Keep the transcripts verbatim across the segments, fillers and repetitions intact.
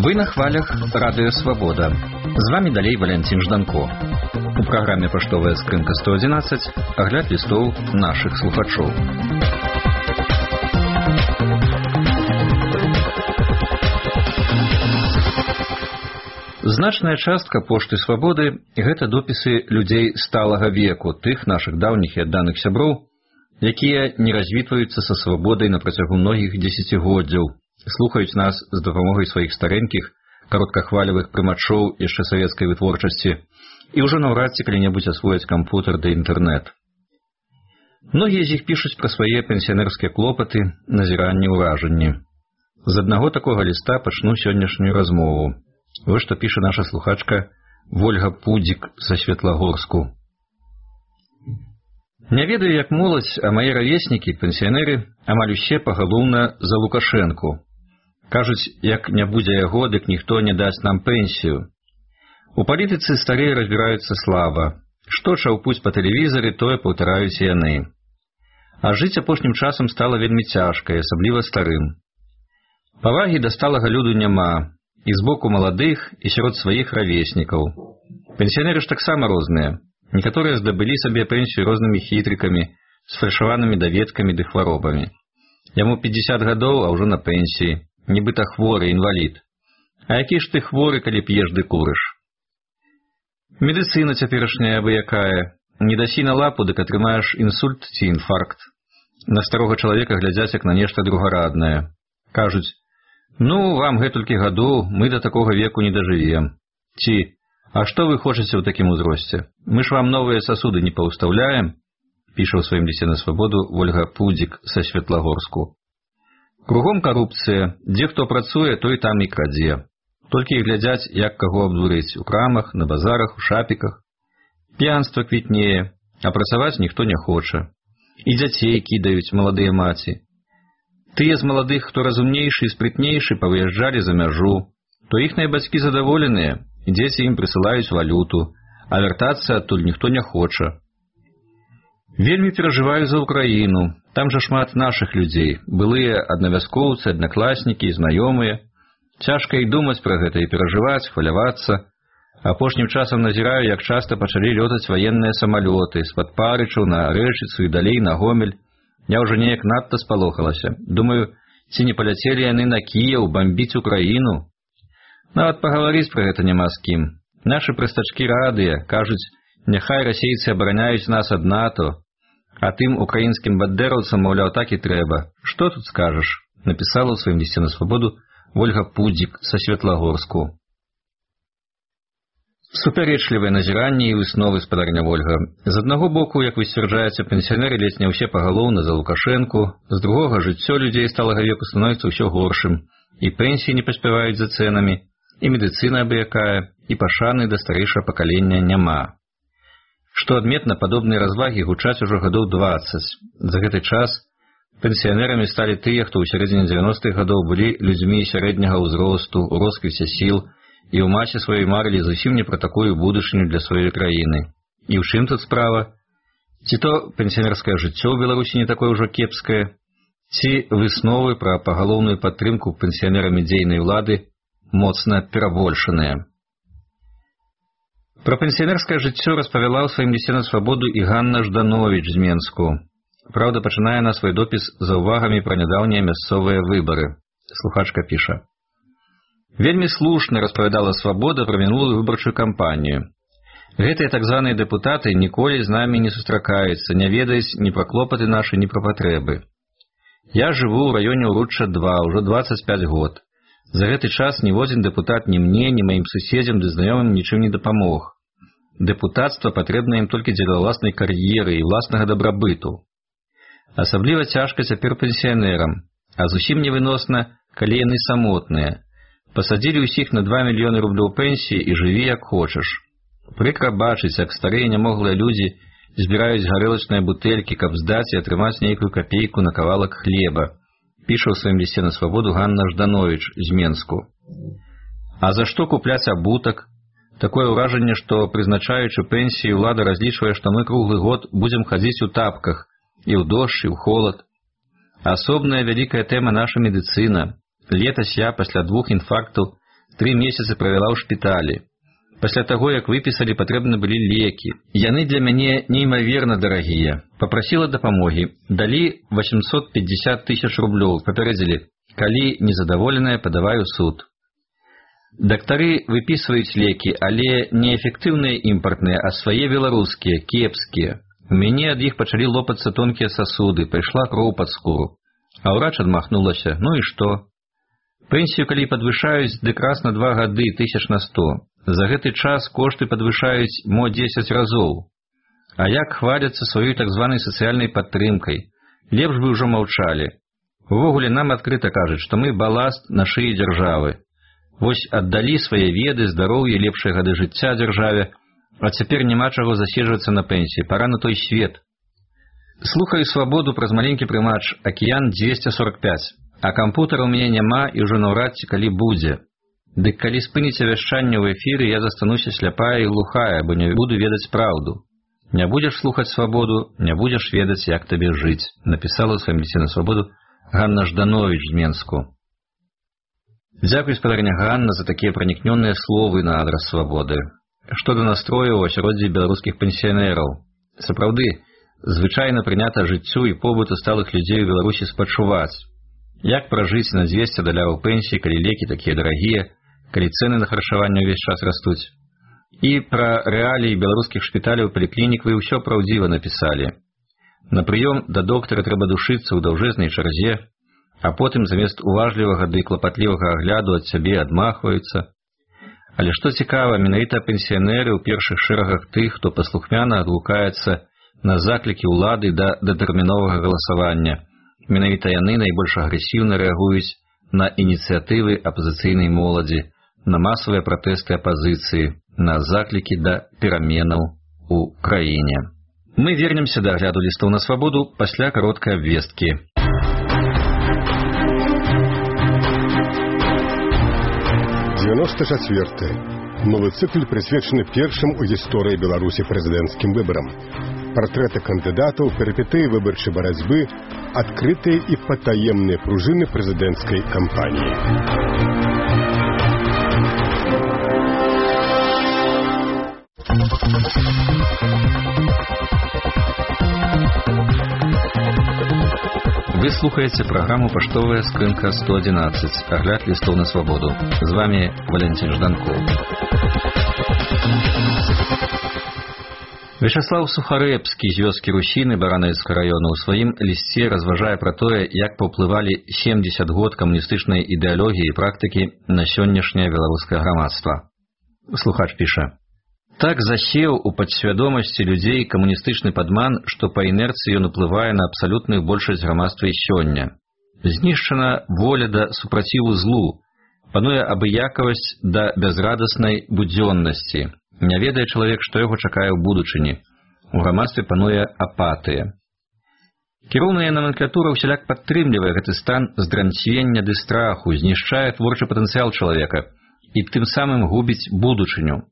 Вы на хвалях Радыё Свабода. З вами далей Валянцін Жданко. У праграме «Паштовая скрынка сто адзінаццаць» агляд лістоў нашых слухачоў. Значная частка пошты Свабоды – гэта допісы людзей сталага веку, тых нашых даўніх і адданых сяброў, якія не развітваюцца са свабодай на працягу многіх дзесяцігоддзяў, слухаюць нас з дапамогай сваіх старэнькіх, кароткахвалевых прымачоў яшчэ савецкай вытворчасці і ўжо наўрад ці калі-небудзь асвояць кампутар ды інтэрнэт. Многія з іх пішуць пра свае пенсіянерскія клопаты, назіранні, ўражанні. З аднаго такога ліста пачну сённяшнюю размову. Вось што піша наша слухачка Вольга Пудзік са Светлагорску. Не ведаю, як моладзь, а мае равеснікі, пенсіянеры, амаль усе пагалоўна за Лукашэнку. Кажуць, як не будзе яго, дык ніхто не дасць нам пенсію. У палітыцы старыя разбіраюцца слаба. Што чаўпуць па тэлевізары, тое паўтараюць яны. А жыць апошнім часам стала вельмі цяжка, асабліва старым. Павагі да сталага люду няма, і з боку маладых, і сярод сваіх равеснікаў. Пенсіянеры ж таксама розныя. Некаторыя здабылі сабе пенсію рознымі хітрыкамі, сфальшаванымі даведкамі ды хваробамі. Яму пятьдесят гадоў, а ўжо на пенсіі. Нібыта хворы, інвалід. А які ж ты хворы, калі п'еш ды курыш? Медыцына цяперашняя абы якая. Не дасі на лапу, дык атрымаеш інсульт ці інфаркт. На старога чалавека глядзяць як на нешта другараднае. Кажуць, ну, вам гэтулькі гадоў, мы да такога веку не дажывем. Ці, а што вы хочаце ў такім узросце? Мы ж вам новыя сасуды не паўстаўляем? Піша ў сваім лісце на Свабоду Вольга Пудзік са Светлагорску. Кругом карупцыя, дзе хто працуе, той там і крадзе. Толькі і глядзяць, як каго абдурыць у крамах, на базарах, у шапіках. П'янства квітнее, а працаваць ніхто не хоча. І дзяцей кідаюць маладыя маці. Тыя з маладых, хто разумнейшы і спрытнейшы, павыязджалі за мяжу, то іхныя бацькі задаволеныя, і дзеці ім прысылаюць валюту, а вяртацца адтуль ніхто не хоча. Вельмі перажываю за Украіну. Там жа шмат нашых людзей, былыя аднавяскоўцы, аднакласнікі, знаёмыя. Цяжка і думаць пра гэта, і перажываць, хвалявацца. Апошнім часам назіраю, як часта пачалі лётаць ваенныя самалёты з-пад Парычаў на Рэчыцу і далей на Гомель. Я ўжо неяк надта спалохалася. Думаю, ці не паляцелі яны на Кіеў бамбіць Украіну? Нават пагаварыць пра гэта няма з кім. Нашы прыстачкі радыя, кажуць, няхай расейцы абараняюць нас ад НАТО, а тым украінскім бандераўцам, маўляў, так і трэба. Што тут скажаш? Напісала ў сваім лісце на Свабоду Вольга Пудзік са Светлагорску. Супярэчлівыя назіранні і высновы, спадарня Вольга. З аднаго боку, як вы сцвярджаеце, пенсіянеры ледзь не ўсе пагалоўна за Лукашэнку, з другога жыццё людзей сталага веку становіцца ўсё горшым, і пенсіі не паспяваюць за цэнамі, і медыцына абы якая, і пашаны да старэйшага пакалення няма. Што адметна, падобныя развагі гучаць ужо гадоў дваццаць. За гэты час пенсіянерамі сталі тыя, хто ў сярэдзіне дзевяностых гадоў былі людзьмі сярэдняга ўзросту, у росквіце сіл, і ў маці сваёй марылі зусім не пра такую будучыню для сваёй краіны. І ў чым тут справа? Ці то пенсіянерскае жыццё ў Беларусі не такое ўжо кепскае, ці высновы пра пагалоўную падтрымку пенсіянерамі дзейнай улады моцна перабольшаныя. Пра пенсіянерскае жыццё распавяла ў сваім лісце на Свабоду і Ганна Ждановіч з Менску. Праўда, пачынае на свой допіс за ўвагамі пра нядаўнія мясцовыя выбары. Слухачка піша. Вельмі слушна распавядала Свабода пра мінулую выбарчую кампанію. Гэтыя так званыя дэпутаты ніколі з намі не сустракаюцца, не ведаюць ні пра клопаты нашы, ні пра патрэбы. Я жыву ў раёне Уручча два, ўжо дваццаць пяць год. За гэты час ніводзін дэпутат ні мне, ні маім суседзям ды знаёмым нічым не дапамог. Дэпутацтва патрэбна ім толькі дзеля ўласнай кар'еры і ўласнага дабрабыту. Асабліва цяжка цяпер пенсіянерам, а зусім невыносна, калі яны самотныя. Пасадзілі ўсіх на два мільёны рублёў пенсіі і жыві як хочаш. Прыкра бачыць, як старыя нямоглыя людзі збіраюць гарэлачныя бутэлькі, каб здаць і атрымаць нейкую капейку на кавалак хлеба. Піша ў сваім лісце на Свабоду Ганна Ждановіч з Менску. А за што купляць абутак? Такое ўражанне, што, прызначаючы пенсіі, ўлада разлічвае, што мы круглы год будзем хадзіць у тапках і ў дождж, і ў холад. Асобная вялікая тэма наша медыцына. Летась я пасля двух інфарктаў тры месяцы правяла ў шпіталі. Пасля таго, як выпісалі, патрэбны былі лекі. Яны для мяне неймаверна дарагія. Папрасіла дапамогі. Далі восемьсот пятьдесят тысяч рублёў. Папярэдзілі, калі незадаволеная, падавай у суд. Дактары выпісваюць лекі, але не эфектыўныя імпартныя, а свае беларускія, кепскія. У мяне ад іх пачалі лопацца тонкія сасуды, пайшла кроў пад скуру. А ўрач адмахнулася. Ну і што? Пенсію, калі падвышаюць, дык раз на два гады тысяч на сто. За гэты час кошты падвышаюць мо дзесяць разоў. А як хваляцца сваёй так званай сацыяльнай падтрымкай? Лепш бы ўжо маўчалі. Увогуле нам адкрыта кажуць, што мы баласт на шыі дзяржавы. Вось аддалі свае веды, здароўе, лепшыя гады жыцця дзяржаве, а цяпер няма чаго заседжвацца на пенсіі, пара на той свет. Слухаю свабоду праз маленькі прымач «Акіян дзвесце сорок пяць», а кампутара ў мяне няма і ўжо наўрад ці калі будзе. Дык калі спыніце вяшчанне ў эфіры, я застануся сляпая і глухая, бо не буду ведаць праўду. Не будзеш слухаць свабоду, не будзеш ведаць, як табе жыць, напісала ў сваім лісце на свабоду Ганна Жданович з Менску. Дзякуй, спадарня Ганна, за такія пранікнёныя словы на адрас свабоды. Што да настрою ў асяроддзі беларускіх пенсіянераў. Сапраўды, звычайна прынята жыццю і побыту сталых людзей у Беларусі спачуваць. Як пражыць на дзвесце даляраў пенсіі, калі лекі такія дарагія, калі цэны на харчаванне ўвесь час растуць. І пра рэаліі беларускіх шпіталяў, паліклінік вы ўсё праўдзіва напісалі. На прыём да доктара трэба душыцца ў даўжэзнай чарзе, а потым замест уважлівага ды клапатлівага агляду ад сябе адмахваюцца. Але што цікава, менавіта пенсіянеры ў першых шэрагах тых, хто паслухмяна адгукаецца на заклікі ўлады да датэрміновага галасавання. Менавіта яны найбольш агрэсіўна рэагуюць на ініцыятывы апазіцыйнай моладзі, на масавыя пратэсты апазіцыі, на заклікі да пераменаў у краіне. Мы вернемся да агляду лістоў на свабоду пасля кароткай абвесткі. девяносто четвёртый. Новы цыкл прысвечаны першым у гісторыі Беларусі прэзідэнцкім выбарам. Партрэты кандыдатаў, перыпетыі выбарчай барацьбы, адкрытыя і патаемныя пружыны прэзідэнцкай кампаніі. Вы слухаеце праграму «Паштовая скрынка сто одиннадцать», агляд лістоў на свабоду. З вами Валентин Жданков. Вячаслав Сухарэбскі з вёскі Русіны Баранавіцкага раёна ў сваім лісце разважае пра тое, як паўплывалі семьдесят год камуністычнай ідэалогіі і практыкі на сённяшняе беларускае грамадства. Слухач піша: Так засеў у падсвядомасці людзей камуністычны падман, што па інерцыі ён уплывае на абсалютную большасць грамадства і сёння. Знішчана воля да супраціву злу, пануе абыякавасць да бязрадаснай будзённасці. Не ведае чалавек, што яго чакае ў будучыні. У грамадстве пануе апатыя. Кіроўная номенклатура ўсяляк падтрымлівае гэты стан здранцвення ды страху, знішчае творчы патэнцыял чалавека і тым самым губіць будучыню.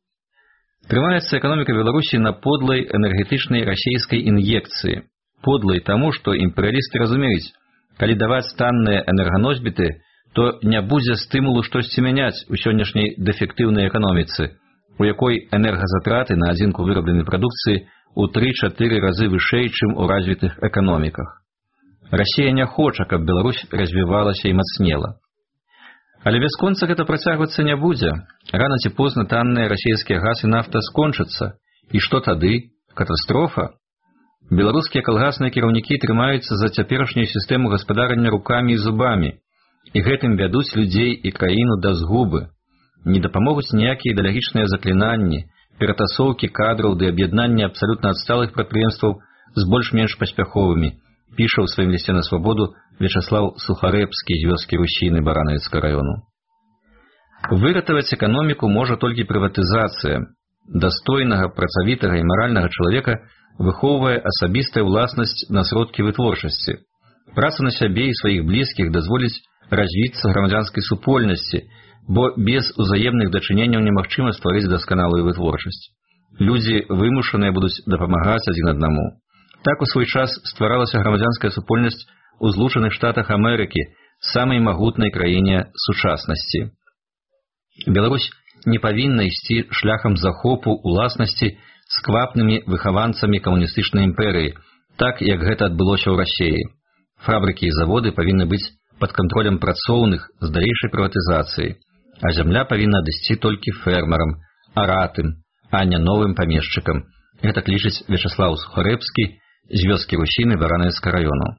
Трымаецца эканоміка Беларусі на подлай энергетычнай расійскай ін'екцыі. Подлай таму, што імперыялісты разумеюць, калі даваць танныя энерганосьбіты, то не будзе стымулу штосьці мяняць у сённяшняй дэфектыўнай эканоміцы, у якой энергазатраты на адзінку вырабленай прадукцыі ў тры-чатыры разы вышэй, чым у развітых эканоміках. Расія не хоча, каб Беларусь развівалася і мацнела. Але бясконца гэта працягвацца не будзе. Рана ці позна танныя расійскія газ і нафта скончацца. І што тады? Катастрофа? Беларускія калгасныя кіраўнікі трымаюцца за цяперашнюю сістэму гаспадарання рукамі і зубамі, і гэтым вядуць людзей і краіну да згубы. Не дапамогуць ніякія ідэалагічныя заклінанні, ператасоўкі кадраў ды аб'яднанне абсалютна адсталых прадпрыемстваў з больш-менш паспяховымі, піша ў сваім лісце на свабоду Вячаслав Сухарэбскі з вёскі Русіны Баранавіцкага раёну. Выратаваць эканоміку можа толькі прыватызацыя. Дастойнага, працавітага і маральнага чалавека выхоўвае асабістая ўласнасць на сродкі вытворчасці. Праца на сябе і сваіх блізкіх дазволіць развіцца грамадзянскай супольнасці, бо без узаемных дачыненняў немагчыма стварыць дасканалую вытворчасць. Людзі вымушаныя будуць дапамагаць адзін аднаму. Так у свой час стваралася грамадзянская супольнасць у Злучаных Штатах Амерыкі, самай магутнай краіне сучаснасці. Беларусь не павінна ісці шляхам захопу уласнасці сквапнымі выхаванцамі камуністычнай імперыі, так, як гэта адбылося ў Расіі. Фабрыкі і заводы павінны быць пад кантролем працоўных з далейшай прыватызацыяй, а зямля павінна адысці толькі фермерам, аратым, а не новым памешчыкам. Гэтак лічыць Вячаслаў Сухарэбскі з вёскі Русіны Баранавіцкага раёну.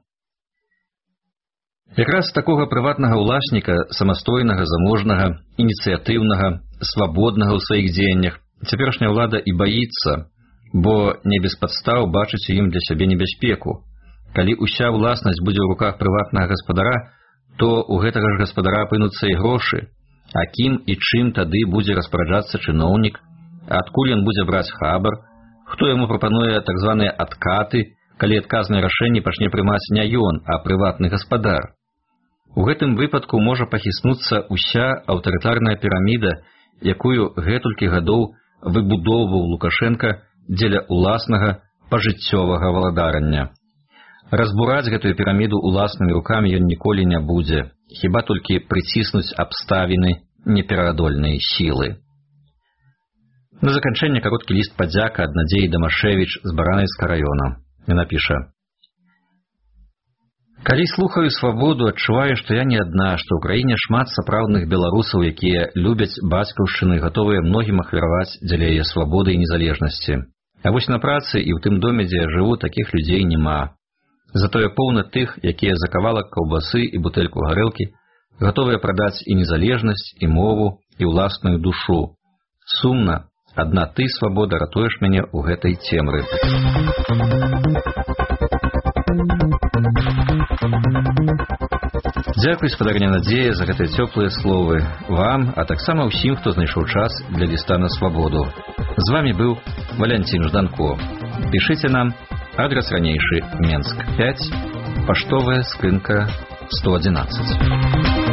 Якраз такога прыватнага ўласніка, самастойнага, заможнага, ініцыятыўнага, свабоднага ў сваіх дзеяннях, цяперашняя ўлада і баіцца, бо не без падстаў бачыць у ім для сябе небяспеку. Калі ўся ўласнасць будзе ў руках прыватнага гаспадара, то ў гэтага ж гаспадара апынуцца і грошы. А кім і чым тады будзе распараджацца чыноўнік? Адкуль ён будзе браць хабар? Хто яму прапануе так званыя адкаты, калі адказнае рашэнне пачне прымаць не ён, а прыватны гаспадар? У гэтым выпадку можа пахіснуцца ўся аўтарытарная піраміда, якую гэтулькі гадоў выбудоўваў Лукашенка дзеля ўласнага пажыццёвага валадарання. Разбураць гэтую піраміду ўласнымі рукамі ён ніколі не будзе, хіба толькі прыціснуць абставіны непераадольнай сілы. На заканчэнне кароткі ліст падзяка ад Надзеі Дамашевіч з Баранавіцкага раёна. Яна піша: «Калі слухаю свабоду, адчуваю, што я не адна, што ў краіне шмат сапраўдных беларусаў, якія любяць бацькаўшчыну і гатовыя многім ахвяраваць дзеля яе свабоды і незалежнасці. А вось на працы і ў тым доме, дзе я жыву, такіх людзей няма. Затое поўна тых, якія за кавалак каўбасы і бутэльку гарэлкі гатовыя прадаць і незалежнасць, і мову, і ўласную душу. Сумна, адна ты, свабода, ратуеш мяне ў гэтай цемры». Дзякуй, спадарня Надзея, за гэтыя цёплыя словы. Вам, а таксама ўсім, хто знайшоў час для ліста на свабоду. З вамі быў Валянцін Жданко. Пішыце нам, адрес ранейшы, Менск пяць, паштовая скрынка сто адзінаццаць.